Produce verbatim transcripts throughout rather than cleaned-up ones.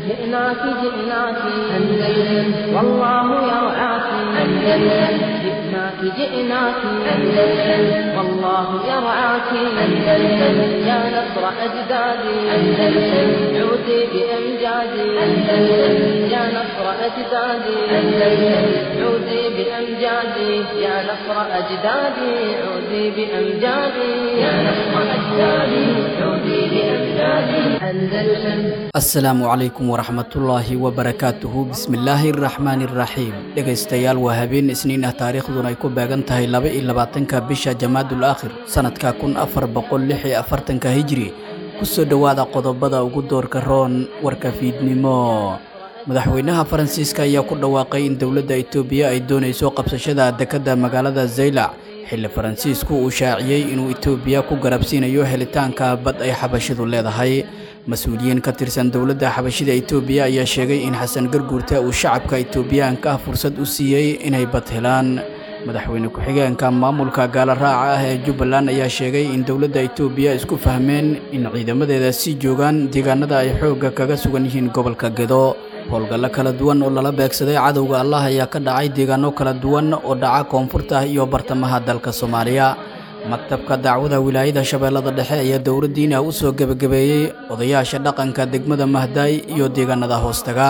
جئناك جئناك أندلس والله يرعاك أندلس جئناك جئناك أندلس والله يرعاك أندلس يا نصر أجدادي أندلس عودي بأمجادي أندلس يا نصر أجدادي أندلس عودي بأمجادي يا نصر أجدادي عودي بأمجادي يا نصر أجدادي عودي بأمجادي أندلس. Asalaamu calaykum waraxmatullaahi wabarakaatuhu. Bismillaahi araxmaani araxiim. Dhegaystayaal, waa habeen Isniin ah, taariikhduna ay ku beegan tahay laba iyo labaatanka bisha Jamaadul Aakhir, sanadka kun afar boqol lix iyo afartanka Hijri. Kusoo dhowaada qodobada ugu doorka roon warka fiidnimo. Madaxweynaha Faransiiska ayaa ku dhawaaqay in dowladda Itoobiya ay doonayso qabsashada dekedda magaalada Zaylac, xilli Faransiisku uu shaaciyey inuu Itoobiya ku garabsiinayo helitaanka bad ay xabashidu leedahay. Mas-uuliyiin ka tirsan dowladda xabashida Itoobiya ayaa sheegay in Xasan Garguurta uu shacabka Itoobiyaanka ah fursad u siiyey inay bad helaan. Madaxweyne ku-xigeenka maamulka gaala raaca ah ee Jubbaland ayaa sheegay in dowladda Itoobiya isku fahmeen in ciidamadeeda sii joogaan deegaanada ay xoogga kaga sugan yihiin gobolka Gedo. Howlgallo kala duwan oo lala beegsaday cadowga Allah ayaa ka dhacay deegaano kala duwan oo dhaca koonfurta iyo bartamaha dalka Soomaaliya. Maktabka dacwada wilaayada Shabeellada Dhexe ayaa dowladdiina u soo gebagabeeyey odayaasha dhaqanka degmada Mahdaay iyo deegaanada hoostaga.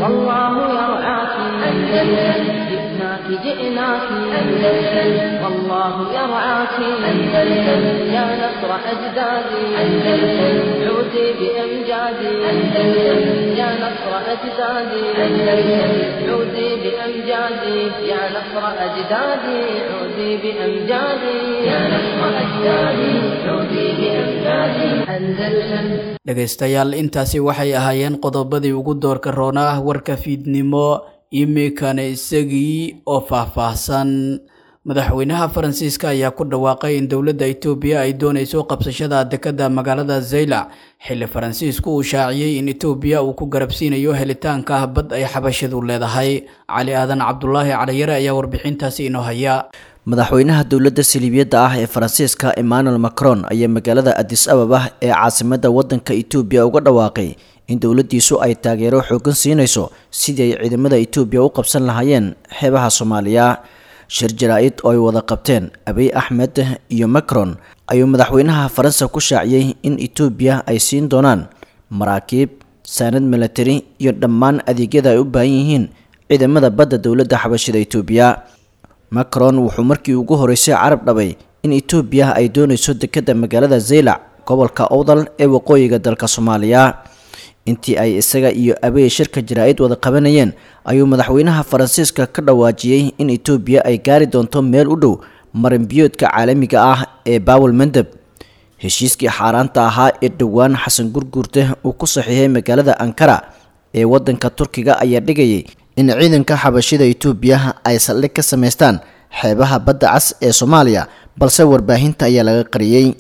والله يرعاك أندلس جئناك جئناك أندلس والله يرعاك أندلس يا نصر أجدادي أندلس عودي بأمجادي أندلس يا نصر أجدادي أندلس عودي بأمجادي يا نصر أجدادي عودي بأمجادي يا نصر أجدادي عودي بأمجادي أندلس. Dhegaystayaal, intaasi waxay ahaayeen qodobadii ugu doorka roonaa warka fiidnimo. Iminkana isagii oo faahfaahsan. Madaxweynaha Faransiiska ayaa ku dhawaaqay in dowladda Itoobiya ay doonayso qabsashada dekedda magaalada Zaylac, xilli Faransiisku uu shaaciyey in Itoobiya uu ku garabsiinayo helitaanka bad ay xabashidu leedahay. Cali Aadan Cabdulaahi Caliyare ayaa warbixintaasi inoo haya. Madaxweynaha dowladda saliibiyadda ah ee Faransiiska Emmanuel Macron ayaa magaalada Addis Ababa ee caasimadda waddanka Itoobiya uga dhawaaqay in dowladdiisu ay taageero xooggan siinayso sidii ay ciidamada Itoobiya u qabsan lahaayeen xeebaha Soomaaliya. Shir jaraa'id oo ay wada qabteen Abiy Axmed iyo Macron ayuu madaxweynaha Faransa ku shaaciyey in Itoobiya ay siin doonaan maraakiib, saanad military iyo dhammaan adeegyada ay u baahan yihiin ciidamada badda dowladda xabashida Itoobiya. Macron wuxuu markii ugu horeysay carab dhabay in Itoobiya ay doonayso dekedda magaalada Zaylac, gobolka Owdal ee waqooyiga dalka Soomaaliya. Intii ay isaga iyo Abiy shirka jaraa'id wada qabanayeen ayuu madaxweynaha Faransiiska ka dhawaajiyey in Itoobiya ay gaari doonto meel u dhow marin biyoodka caalamiga ah ee Baawel Mandeb. Heshiiskii xaaraanta ahaa ee dhowaan Xasan Gurguurte uu ku saxiixay magaalada Ankara ee waddanka Turkiga ayaa dhigayay in ciidanka xabashida Itoobiya ay saldhig ka samaystaan xeebaha badda cas ee Soomaaliya, balse warbaahinta ayaa laga qariyey.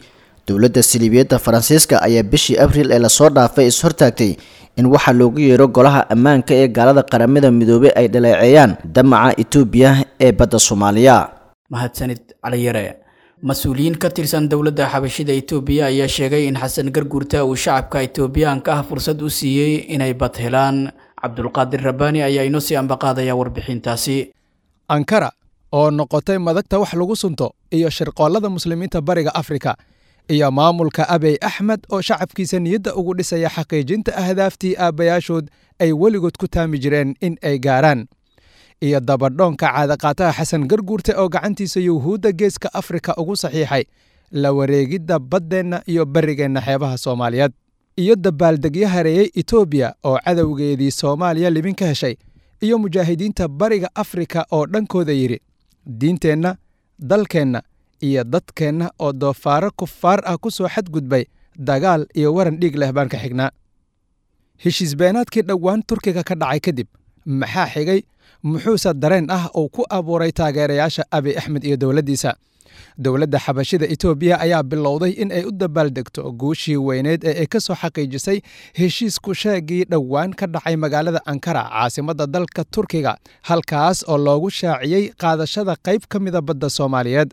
Dowladda saliibiyadda Faransiiska ayaa bishii Abriil ee lasoo dhaafay is-hortaagtay in waxaa loogu yeero golaha ammaanka ee gaalada Qaramada Midoobay ay dhaleeceeyaan damaca Itoobiya ee badda Soomaaliya. Mahadsanid, Caliyare. Mas-uuliyiin ka tirsan dowladda xabashida Itoobiya ayaa sheegay in Xasan Garguurta uu shacabka Itoobiyaanka ah fursad u siiyey inay bad helaan. Cabdulqaadir Rabbaani ayaa inoo sii ambaqaadaya warbixintaasi. Ankara oo noqotay madagta wax lagu sunto iyo shirqoollada muslimiinta Bariga Afrika, iyo maamulka Abiy Axmed oo shacabkiisa niyadda ugu dhisaya xaqiijinta ahdaaftii aabbayaashood ay weligood ku taami jireen in ay gaaraan, iyo dabadhoonka caadaqaataha Xasan Garguurte oo gacantiisa Yuhuudda Geeska Afrika ugu saxiixay la wareegidda baddeenna iyo barrigeenna xeebaha Soomaaliyeed, iyo dabaaldegyo hareeyey Itoobiya oo cadowgeedii Soomaaliya libin ka heshay, iyo mujaahidiinta Bariga Afrika oo dhankooda yidhi diinteenna, dalkeenna iyo dadkeenna oo doofaaro kufaar ah ku soo xadgudbay dagaal iyo waran dhiig leh baan ka xignaa. Heshiis beenaadkii dhowaan Turkiga ka dhacay kadib maxaa xigay? Muxuuse dareen ah uu ku abuuray taageerayaasha Abiy Axmed iyo dowladdiisa? Dowladda xabashida Itoobiya ayaa bilowday in ay u dabaaldegto guushii weyneed ee ay ka soo xaqiijisay heshiisku sheegii dhowaan ka dhacay magaalada Ankara, caasimadda dalka Turkiga, halkaas oo loogu shaaciyey qaadashada qayb ka mida badda Soomaaliyeed.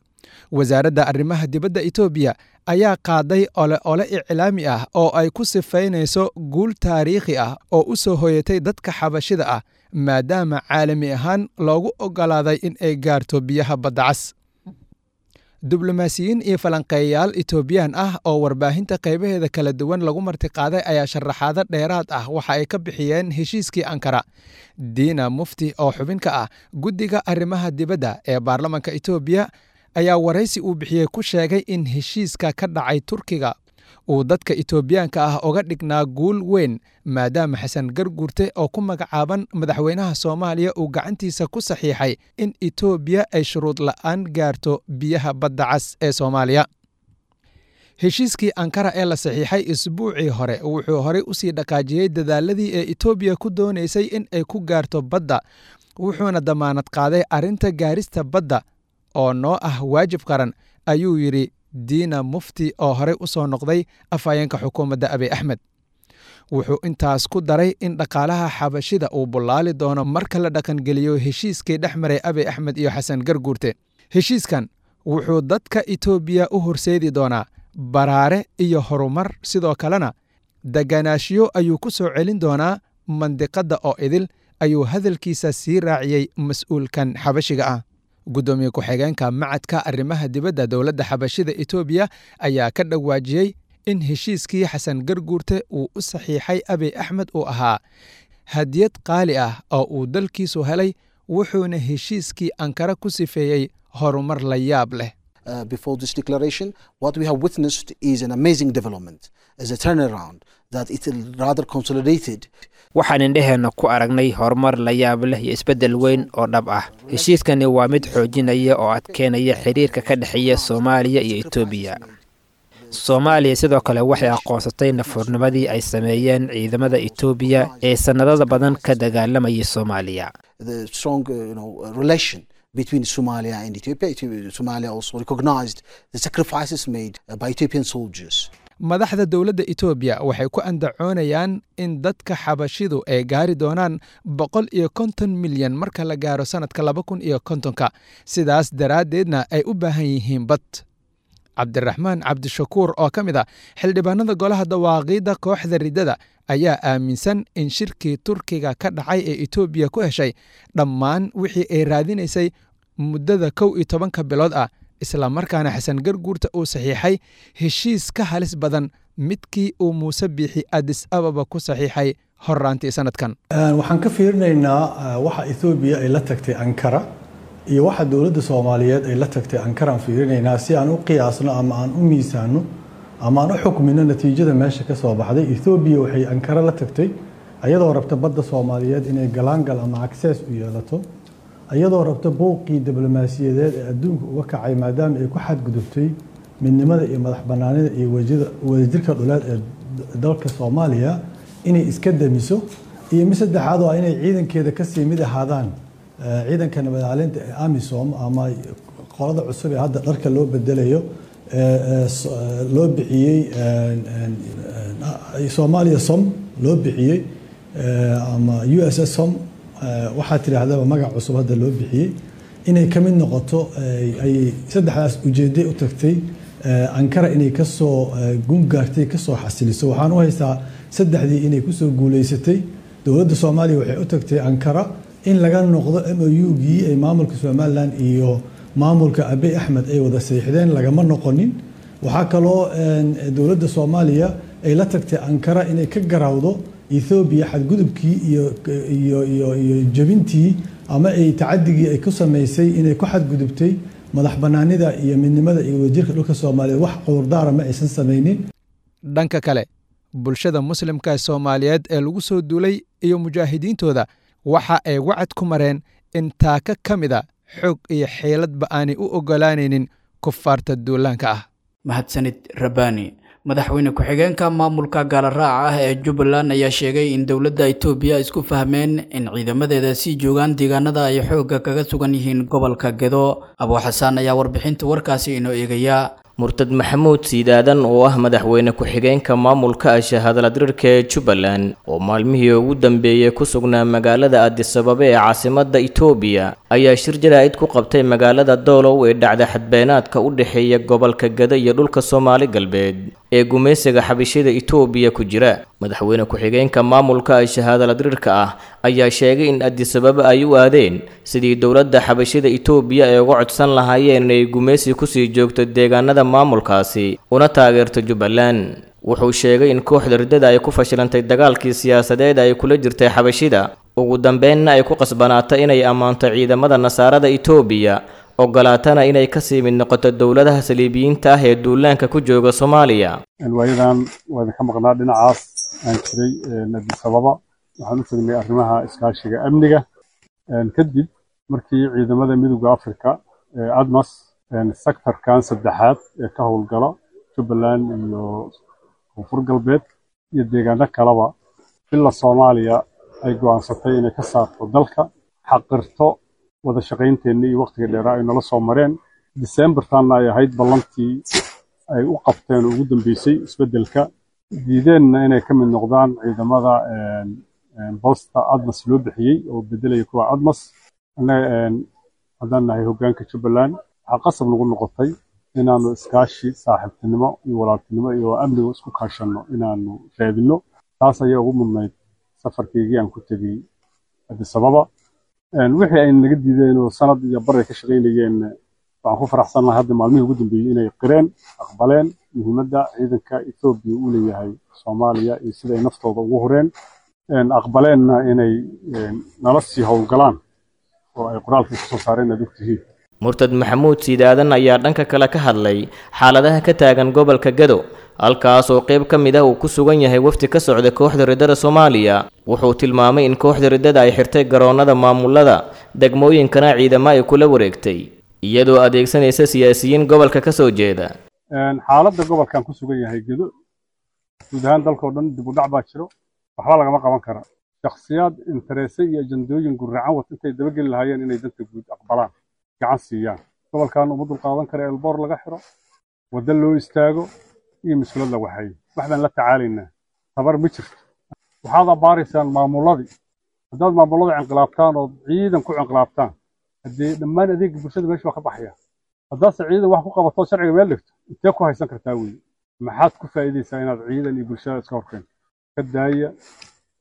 Wasaaradda arrimaha dibadda Itoobiya ayaa qaaday ole ole iclaami ah oo ay ku sifaynayso guul taariikhi ah oo u soo hoyatay dadka xabashida ah, maadaama caalami ahaan loogu oggolaaday in ay gaarto biyaha badda cas. Diblomaasiyiin iyo falanqeeyayaal Itoobiyaan ah oo warbaahinta qaybaheeda kala duwan lagu martiqaaday ayaa sharaxaado dheeraad ah waxa ay ka bixiyeen heshiiskii Ankara. Diina Mufti oo xubin ka ah guddiga arrimaha dibadda ee baarlamanka Itoobiya ayaa waraysi uu bixiyey ku sheegay in heshiiska ka dhacay Turkiga uu dadka Itoobiyaanka ah uga dhignaa guul weyn, maadaama Xasan Garguurte oo ku magacaaban madaxweynaha Soomaaliya uu gacantiisa ku saxiixay in Itoobiya ay shuruud la'aan gaarto biyaha badda cas ee Soomaaliya. Heshiiskii Ankara ee la saxiixay isbuucii hore wuxuu horey usii dhaqaajiyey dadaaladii ee Itoobiya ku doonaysay in ay ku gaarto badda, wuxuuna damaanad qaaday arrinta gaarista badda oo noo ah waajib qaran, ayuu yidhi Diina Mufti oo horey u soo noqday afhayeenka xukuumadda Abiy Axmed. Wuxuu intaas ku daray in dhaqaalaha xabashida uu bullaali doono marka la dhaqangeliyo heshiiskii dhex maray Abiy Axmed iyo Xasan Garguurte. Heshiiskan wuxuu dadka Itoobiya u horseedi doonaa baraare iyo horumar, sidoo kalena deganaashiyo ayuu ku soo celin doonaa mandiqadda oo idil, ayuu hadalkiisa sii raaciyey mas-uulkan xabashiga ah. Guddoomiye ku-xigeenka macadka arrimaha dibadda dowladda xabashida Itoobiya ayaa ka dhawaajiyey in heshiiskii Xasan Garguurte uu u saxiixay Abiy Axmed uu ahaa hadiyad qaali ah oo uu dalkiisu helay, wuxuuna heshiiskii Ankara ku sifeeyey horumar la yaab leh. Uh, before this declaration, what we have witnessed is an amazing development, as a turnaround that it rather consolidated. Waxaan indheheenna ku aragnay horumar la yaab leh iyo isbeddel weyn oo dhab ah. Heshiiskani waa mid xoojinaya oo adkeynaya xiriirka ka dhexeeya Soomaaliya iyo Itoobiya. Soomaaliya sidoo kale waxay aqoonsatay nafurnimadii ay sameeyeen ciidamada Itoobiya ee sannadada badan ka dagaalamayay Soomaaliya. The strong, uh, you know, relation between Somalia and Ethiopia. Ethiopia. Somalia also recognized the sacrifices made by Ethiopian soldiers. Madaxda dowladda Itoobiya waxay ku andacoonayaan in dadka xabashidu ay gaari doonaan boqol iyo konton milyan marka la gaaro sanadka laba kun iyo kontonka, sidaas daraaddeedna ay u baahan yihiin bad. Cabdiraxmaan Cabdishakuur oo ka mid ah xildhibaanada golaha dawaaqiidda kooxda riddada ayaa aaminsan in shirkii Turkiga ka dhacay ee Itoobiya ku heshay dhammaan wixii ay raadinaysay muddada kow iyo tobanka bilood ah, isla markaana Xasan Garguurta uu saxiixay heshiis ka halis badan midkii uu Muuse Biixi Addis Ababa ku saxiixay horraantii sanadkan. Waxaan ka fiirinaynaa waxa Itoobiya ay la tagtay Ankara iyo waxa dowladda Soomaaliyeed ay la tagtay Ankara aan fiirinaynaa si aan u qiyaasno ama aan u miisaano ama aan u xukmino natiijada meesha ka soo baxday. Itoobiya waxay Ankara la tagtay ayadoo rabta badda Soomaaliyeed inay galaangal ama access u yeelato, iyadoo rabta buuqii diblomaasiyadeed ee adduunka uga kacay maadaama ay ku xadgudubtay midnimada iyo madax bannaanida iyo wadajirka dhuleed ee dalka Soomaaliya inay iska damiso, iyo mid saddexaad oo inay ciidankeeda kasii mid ahaadaan ciidanka nabadcelinta ee AMISOM ama qolada cusub ee hadda dharka loo bedelayo loo bixiyey Soomaaliya SOM loo bixiyey ama U S S SOM, waxaa tidhaahdaba magac cusub hadda loo bixiyey, inay ka mid noqoto ay saddexdaas ujeeday u tagtay Ankara inay kasoo gungaartay kasoo xasiliso. Waxaan u haystaa saddexdii inay kusoo guuleysatay. Dowladda Soomaaliya waxay u tagtay Ankara in laga noqdo M O U-gii ay maamulka Somaliland iyo maamulka Abiy Axmed ay wada saxiixdeen, lagama noqonin. Waxaa kaloo dowladda Soomaaliya ay la tagtay Ankara inay ka garawdo Ethiopia xadgudubkii iyo iyo iyo iyo jabintii ama ay tacadigii ay ku samaysay inay ku xadgudubtay madax bannaanida iyo midnimada iyo wadajirka dhulka Soomaaliyeed. Wax cudurdaara ma aysan samaynin. Dhanka kale, bulshada muslimka Soomaaliyeed ee lagu soo duulay iyo mujaahidiintooda waxa ay wacad ku mareen in taaka ka mida xoog iyo xeeladba aanay u oggolaanaynin kufaarta duulaanka ah. Mahadsanid Rabbaani. Madaxweyne ku-xigeenka maamulka gaalaraaca ah ee Jubbaland ayaa sheegay in dowladda Itoobiya isku fahmeen in ciidamadeeda sii joogaan deegaanada ay xoogga kaga sugan yihiin gobolka Gedo. Abu Xasaan ayaa warbixinta warkaasi inoo eegaya. Murtad Maxamuud Siidaadan oo ah madaxweyne ku-xigeenka maamulka ashahadaladirirka ee Jubbaland oo maalmihii ugu dambeeyey ku sugnaa magaalada Addis Ababa ee caasimadda Itoobiya ayaa shir jaraa'id ku qabtay magaalada Doolow ee dhacda xadbeenaadka u dhexeeya gobolka Gada iyo dhulka Soomaali Galbeed ee gumaysiga xabashida Itoobiya ku jira. Madaxweyne ku-xigeenka maamulka ashahadaladirirka ah ayaa sheegay in Addis Ababa ay u aadeen sidii dowladda xabashida Itoobiya ay uga codsan lahaayeen inay gumaysi kusii joogto deegaanada maamulkaasi una taageerto Jubbaland. Wuxuu sheegay in kooxda riddada ay ku fashilantay dagaalkii siyaasadeed ay kula jirtay xabashida, ugu dambeynna ay ku qasbanaatay inay ammaanto ciidamada nasaarada Itoobiya, ogolaatana inay kasii mid noqoto dowladaha saliibiyiinta ah ee duulaanka ku jooga Soomaaliya. Waayadan waa idinka maqnaa dhinacaas aan jiray Addis Ababa, waxaan u tagnay arrimaha iskaashiga amniga. Kadib markii ciidamada Midowga Afrika ee ADMAS sektarkan saddexaad ee ka howlgala Jubbaland iyo Koonfur Galbeed iyo deegaano kaleba ila Soomaaliya ay go'aansatay inay ka saarto dalka, xaqirto wada shaqaynteenna iyo waqtiga dheeraa ay nala soo mareen. December-taanna ay ahayd ballantii ay u qabteen oo ugu dambeysay isbeddelka, diideenna inay ka mid noqdaan ciidamada bosta ADMAS loo bixiyey oo beddelaya kuwa ADMAS. Annaga haddaan nahay hoggaanka Jubbaland, waxaa qasab nagu noqotay inaanu iskaashi saaxiibtinimo iyo walaaltinimo iyo amniga isku kaashanno inaanu raadinno. Taas ayaa ugu mudnayd safarkaygii aan ku tegey Addis Ababa. Wixii ay naga diideen oo sanad iyo bar ay ka shaqaynayeen, waxaan ku faraxsanahay hadda maalmihii ugu dambeeyey inay qireen, aqbaleen muhiimadda ciidanka Etoobiya uu leeyahay Soomaaliya iyo sida ay naftooda ugu hureen, aqbaleenna inay nala sii howlgalaan oo ay qoraalkii kusoo saareen aad ogtihiin. Murtad Maxamuud Siidaadan ayaa dhanka kale ka hadlay xaaladaha ka taagan gobolka Gado, halkaas oo qayb ka mid ah uu ku sugan yahay wafdi ka socda kooxda riddada Soomaaliya. Wuxuu tilmaamay in kooxda riddada ay xirtay garoonada maamulada degmooyinkana ciidamo ay kula wareegtay, iyadoo adeegsanaysa siyaasiyiin gobolka ka soo jeeda. Xaaladda gobolkan ku sugan yahay Gado, guud ahaan dalkoo dhan dib u dhac baa jiro, waxba lagama qaban kara. Shakhsiyaad interese iyo ajandooyin guracan wata intay dabageli lahaayeen inay danta guud aqbalaan, gacan siiyaan. Gobolkan uma dulqaadan kara elboor laga xiro, waddo loo istaago iyo mas-uuliyad la waxeeyo. Wax baan la tacaalaynaa, tabar ma jirto. Waxaad abbaaraysaan maamuladii. Haddaad maamulada inqilaabtaan ood ciidan ku inqilaabtaan, haddee dhammaan adeega bulshada meesha waa ka baxaya. Haddaadse ciidan wax ku qabato sharciga meel dhigto, intee ku haysan kartaa weeye? Maxaad ku faa'iidaysaa inaad ciidan iyo bulshada iska horkeento? Ka daaya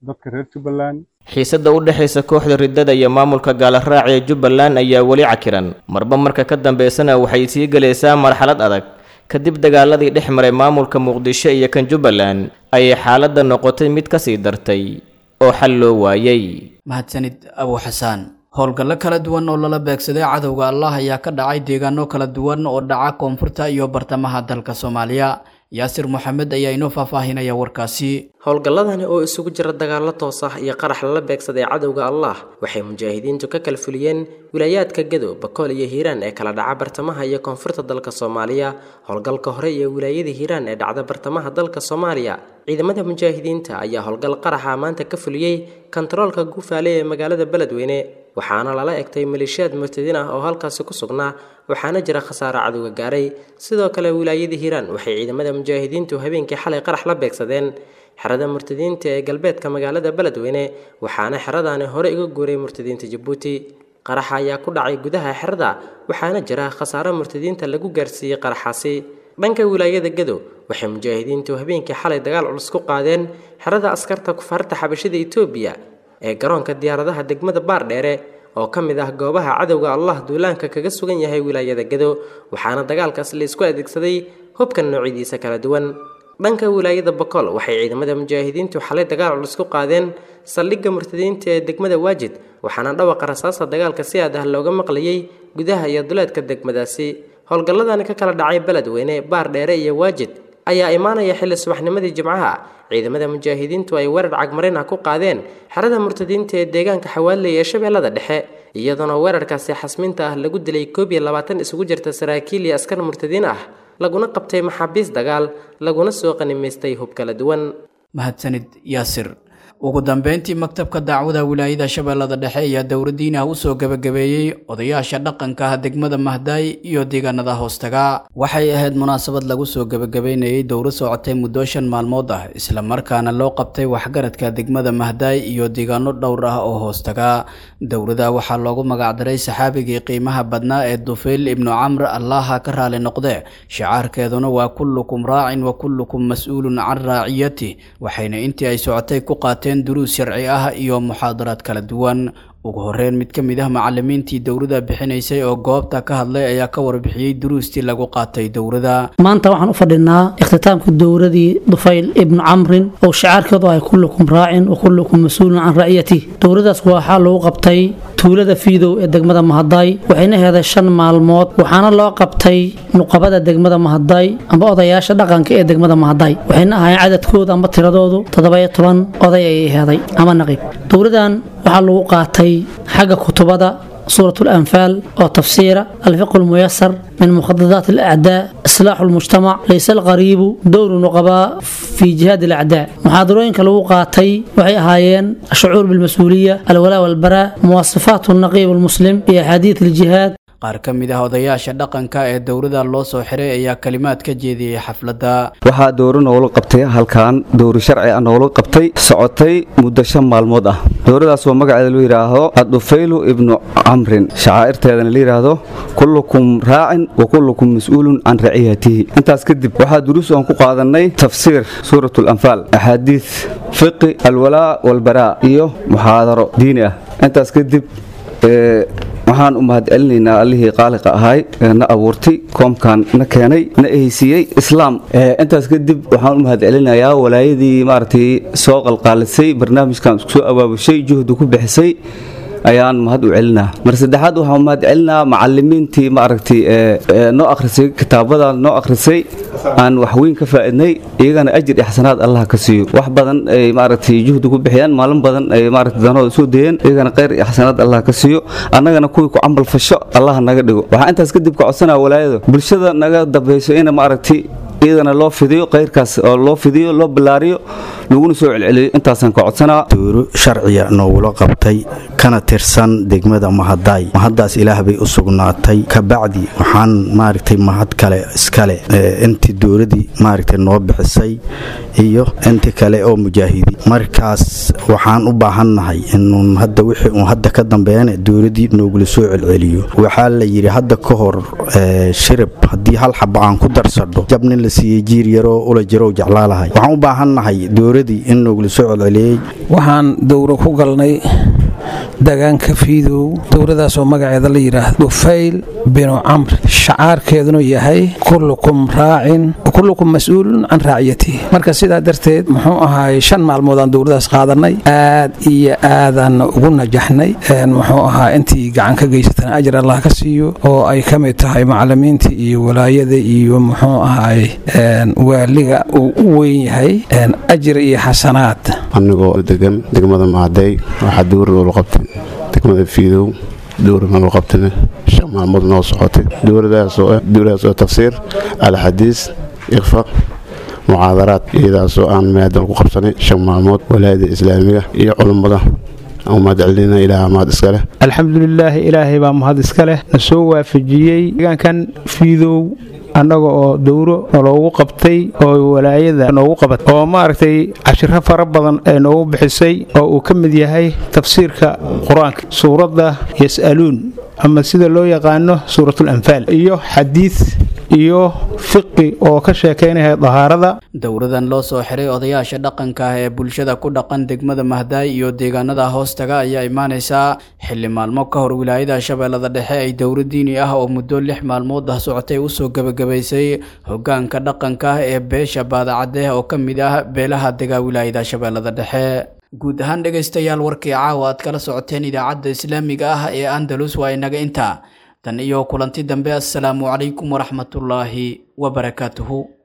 dadka reer Jubbaland. Xiisadda u dhexaysa kooxda riddada iyo maamulka gaalaraac ee Jubbaland ayaa weli cakiran, marba marka ka dambeysana waxay sii gelaysaa marxalad adag. Kadib dagaaladii dhex maray maamulka Muqdisho iyo kan Jubbaland ayay xaaladda noqotay mid ka sii dartay oo xal loo waayay. Mahadsanid Abu Xasaan. Howlgallo kala duwan oo lala beegsaday cadowga Allah ayaa ka dhacay deegaano kala duwan oo dhaca koonfurta iyo bartamaha dalka Soomaaliya. Yaasir Maxamed ayaa inoo faahfaahinaya warkaasi. Howlgalladani oo isugu jira dagaallo toos ah iyo qarax lala beegsaday cadowga Allah waxay mujaahidiintu ka kala fuliyeen wilaayaadka Gado, Bakool iyo Hiiraan ee kala dhaca bartamaha iyo koonfurta dalka Soomaaliya. Howlgalka hore iyo wilaayada Hiiraan ee dhacda bartamaha dalka Soomaaliya, ciidamada mujaahidiinta ayaa howlgal qaraxa maanta ka fuliyey kantaroolka Guufaale ee magaalada Beledweyne, waxaana lala egtay maleeshiyaad murtadiin ah oo halkaasi ku sugnaa, waxaana jira khasaare cadowga gaaray. Sidoo kale wilaayada Hiiraan waxay ciidamada mujaahidiintu habeenkii xalay qarax la beegsadeen xerada murtadiinta ee galbeedka magaalada Beledweyne, waxaana xeradaani hore uga guuray murtadiinta Jabuuti. Qaraxa ayaa ku dhacay gudaha xerada, waxaana jira khasaare murtadiinta lagu gaarsiiyey qaraxaasi. Dhanka wilaayada Gado waxay mujaahidiintu habeenkii xalay dagaal culus ku qaadeen xerada askarta kufaarta xabashida Itoobiya ee garoonka diyaaradaha degmada Baardheere oo ka mid ah goobaha cadowga Allah duulaanka kaga sugan yahay wilaayada Gado, waxaana dagaalkaas la isku adeegsaday hubka noocyadiisa kala duwan. Dhanka wilaayada Bakool waxay ciidamada mujaahidiintu xalay dagaal culus ku qaadeen saldhigga murtadiinta ee degmada Waajid, waxaana dhawaqa rasaasta dagaalka si aad ah looga maqlayay gudaha iyo duleedka degmadaasi. Howlgalladani ka kala dhacay Beledweyne, Baardheere iyo Waajid ayaa imaanaya xilli subaxnimadii Jimcaha ciidamada mujaahidiintu ay weerar cagmarin ah ku qaadeen xerada murtadiinta ee deegaanka Xawaaley ee Shabeellada Dhexe, iyadoona weerarkaasi xasminta ah lagu dilay koob iyo labaatan isugu jirta saraakiil iyo askar murtadiin ah, laguna qabtay maxaabiis dagaal, laguna soo qanimaystay hub kala duwan. Mahadsanid Yaasir. Ugu dambeyntii, maktabka dacwada wilaayada Shabeellada Dhexe ayaa dowladiinaha u soo gabagabeeyey odayaasha dhaqanka ah degmada Mahdaay iyo deegaanada hoostaga. Waxay ahayd munaasabad lagu soo gabagabeynayay dowlad socotay muddo shan maalmood ah, isla markaana loo qabtay waxgaradka degmada Mahdaay iyo deegaano dhowr ah oo hoostaga. Dowladda waxaa loogu magacdaray saxaabigii qiimaha badnaa ee Dufayl ibnu Camr, Allaha ka raali noqde. Shicaarkeeduna waa kullukum raacin wa kullukum mas-uulun can raaciyati. Waxayna intii ay socotay ku qaateen duruus sharci ah iyo muxaadaraad kala duwan. Ugu horreyn, mid ka mid ah macallimiintii dowladda bixinaysay oo goobta ka hadlay ayaa ka warbixiyey duruustii lagu qaatay dowladda. Maanta waxaan u fadhinaa ikhtitaamka dowladii Dufayl ibnu Camrin oo shicaarkeedu ahay kullukum raacin wa kullukum mas-uulun can raciyatih. Dowladaas waxaa lagu qabtay tuulada Fiidow ee degmada Mahadaay, waxayna heeday shan maalmood, waxaana loo qabtay nuqabada degmada Mahadaay amba odayaasha dhaqanka ee degmada Mahadaay. Waxayna ahaayeen cadadkooda amba tiradoodu toddoba-iyo toban oday ayay heeday ama naqiib. Dowladan waxaa lagu qaatay xagga kutubada سورة الأنفال وتفسير الفقه الميسر من مخططات الأعداء، إصلاح المجتمع، ليس الغريب، دور النقباء في جهاد الأعداء. محاضرين كالوقاتي وحي هايين الشعور بالمسؤولية، الولاء والبراء، مواصفات النقيب المسلم في أحاديث الجهاد. Qaar ka mid ah odayaasha dhaqanka ee dowladda loo soo xiray ayaa kalimaad ka jeediyey xafladda. Waxaa dowro noola qabtay halkan, dowro sharci ah noola qabtay, socotay muddo shan maalmood ah. Dowradaas oo magaceeda loo yidhaahdo Adufaylu ibnu Camrin, shacaa'irteedana la yidhaahdo kullukum raacin wa kullukum mas-uulun can raciyatihi. Intaas kadib waxaa duruus aan ku qaadanay tafsiir suurat alanfaal, axaadiis, fiqi alwalaa walbaraa iyo muxaadaro diini ah. Intaas kadib waxaan u mahadcelinaynaa allihii qaaliqa ahay ee na abuurtay, koomkan na keenay, na ehaysiiyey islaam. Intaas kadib waxaan u mahadcelinayaa walaayadii maaragtay soo qalqaalisay barnaamijkan, isku soo abaabushay, juhdi ku bixisay ayaan mahad u celinaa. Mar saddexaad waxaan mahad celinaa macalimiintii maaragtay ee noo akhrisay kitaabadan, noo akhrisay, aan wax weyn ka faa'iidnay. Iyagana ajir iyo xasanaad Allah ka siiyo. Wax badan ay maaragtay juhdi ku bixiyaan, maalin badan ay maaragtay danooda soo dayeen, iyagana khayr iyo xasanaad Allah ka siiyo, annagana kuwii ku camal fasho Allah naga dhigo. Waxaan intaas kadib ka codsanaa walaayada bulshada naga dambayso in maaragtay iyadana loo fidiyo khayrkaas, oo loo fidiyo, loo ballaariyo, laguna soo celceliyo. Intaasaan ka codsanaa. Dowro sharciya noogula qabtay kana tirsan degmada Mahadaay, mahaddaas Ilaah bay u sugnaatay. Kabacdi waxaan maaragtay mahad kale iskale intii dowladii maaragtay noo bixisay iyo inti kale oo mujaahidi. Markaas waxaan u baahannahay inuun hadda wixii uun hadda ka dambeeyana dowladii noogula soo celceliyo. Waxaa la yidhi hadda ka hor, shirib haddii hal xaba aan ku darsadho jab nin la siiyey jiir yaroo ula jirow jeclaalahay. Waxaan u baahannahay dowladii in noogula soo celceliyey. Waxaan dowro ku galnay degaanka Fiidow, dowladaasoo magaceeda la yidhaahdo Dufayl binu Camr, shacaarkeeduna yahay kullukum raacin kullukum mas-uulun can raaciyatihi. Marka sidaa darteed muxuu ahaay shan maalmoodaan dowladaas qaadanay, aad iyo aadaan ugu najaxnay. Muxuu ahaa intii gacan ka geysatana ajir Allah ka siiyo, oo ay ka mid tahay macalimiinta iyo walaayada iyo muxuu ahaay waaliga uu u weyn yahay, ajir iyo xasanaad. Anigoo degan degmada Mahadey, waxaa dowra loola qabtay degmada Fiidow. Dowra noola qabtayna shan maalmood noo socotay, dowladaasoo ah dowladaas oo tafsiir alxadiis, iqfa, muxaadaraad, iyadaasoo aan maadan ku qabsanay shan maalmood. Walaayada islaamiga iyo culummada aan mahad celinayna, Ilaaha mahad iska leh. Alxamdulilaahi, Ilaahay baa mahad iska leh na soo waafajiyey deegaankan Fiidow annaga oo dowro naloogu qabtay oo walaayada noogu qabatay, oo maaragtay cashiro fara badan ee noogu bixisay, oo uu ka mid yahay tafsiirka qur-aanka suuradda Yas'aluun ama sida loo yaqaano suuratul Anfaal, iyo xadiis iyo fiqi oo ka sheekaynaya dahaarada. Dowladan loo soo xiray odayaasha dhaqanka ah ee bulshada ku dhaqan degmada Mahdaay iyo deegaanada hoostaga ayaa imaanaysaa xilli maalmo ka hor wilaayada Shabeellada Dhexe ay dowlad diini ah oo muddo lix maalmood ah socotay usoo gebagabaysay hoggaanka dhaqanka ah ee beesha Baadacadde oo ka mid ah beelaha degaa wilaayada Shabeellada Dhexe. Guud ahaan dhegaystayaal, warkii caawa aad kala socoteen idaacadda islaamiga ah ee Andalus waa inaga intaa. Tan iyo kulanti dambe, assalaamu calaykum waraxmatullaahi wabarakaatuhu.